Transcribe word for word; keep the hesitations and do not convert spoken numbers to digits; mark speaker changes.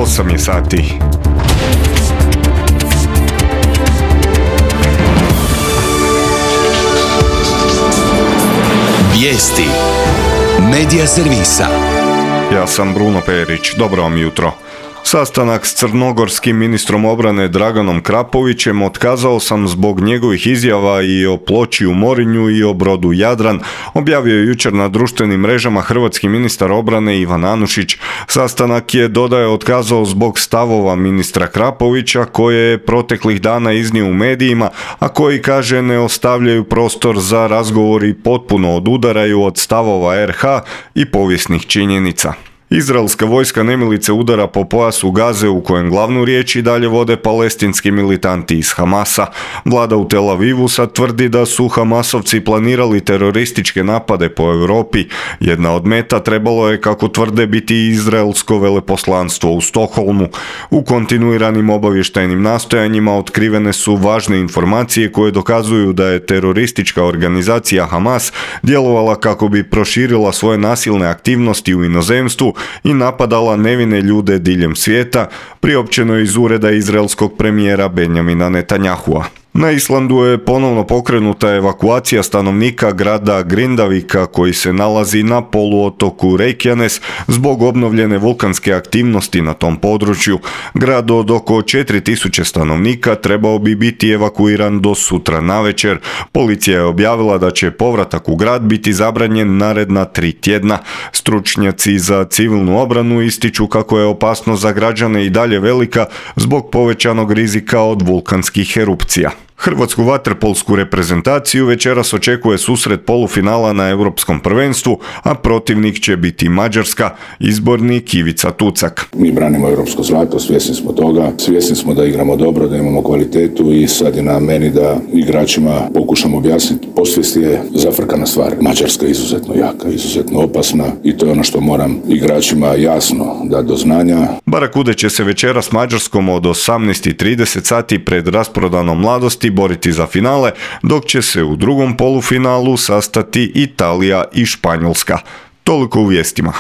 Speaker 1: osam je sati.
Speaker 2: Vijesti Medija servisa.
Speaker 1: Ja sam Bruno Perić, dobro vam jutro. Sastanak s crnogorskim ministrom obrane Draganom Krapovićem otkazao sam zbog njegovih izjava i o ploči u Morinju i o brodu Jadran, objavio je jučer na društvenim mrežama hrvatski ministar obrane Ivan Anušić. Sastanak je, dodaje, otkazao zbog stavova ministra Krapovića koje je proteklih dana iznio u medijima, a koji, kaže, ne ostavljaju prostor za razgovor i potpuno odudaraju od stavova er ha i povijesnih činjenica. Izraelska vojska nemilice udara po pojasu Gaze u kojem glavnu riječ i dalje vode palestinski militanti iz Hamasa. Vlada u Tel Avivu sad tvrdi da su Hamasovci planirali terorističke napade po Europi. Jedna od meta trebalo je, kako tvrde, biti izraelsko veleposlanstvo u Stokholmu. U kontinuiranim obavještajnim nastojanjima otkrivene su važne informacije koje dokazuju da je teroristička organizacija Hamas djelovala kako bi proširila svoje nasilne aktivnosti u inozemstvu i napadala nevine ljude diljem svijeta, priopćeno iz ureda izraelskog premijera Benjamina Netanyahua. Na Islandu je ponovno pokrenuta evakuacija stanovnika grada Grindavika koji se nalazi na poluotoku Reykjanes zbog obnovljene vulkanske aktivnosti na tom području. Grad od oko četiri tisuće stanovnika trebao bi biti evakuiran do sutra navečer. Policija je objavila da će povratak u grad biti zabranjen naredna tri tjedna. Stručnjaci za civilnu obranu ističu kako je opasnost za građane i dalje velika zbog povećanog rizika od vulkanskih erupcija. Hrvatsku vaterpolsku reprezentaciju večeras očekuje susret polufinala na Europskom prvenstvu, a protivnik će biti Mađarska, izbornik Ivica Tucak.
Speaker 3: Mi branimo europsko zlato, svjesni smo toga, svjesni smo da igramo dobro, da imamo kvalitetu i sad je na meni da igračima pokušam objasniti. Posvijest je zafrkana stvar. Mađarska je izuzetno jaka, izuzetno opasna i to je ono što moram igračima jasno dati do znanja.
Speaker 1: Barakude će se večeras s Mađarskom od osamnaest i trideset sati pred rasprodanom Mladosti boriti za finale, dok će se u drugom polufinalu sastati Italija i Španjolska. Toliko u vijestima.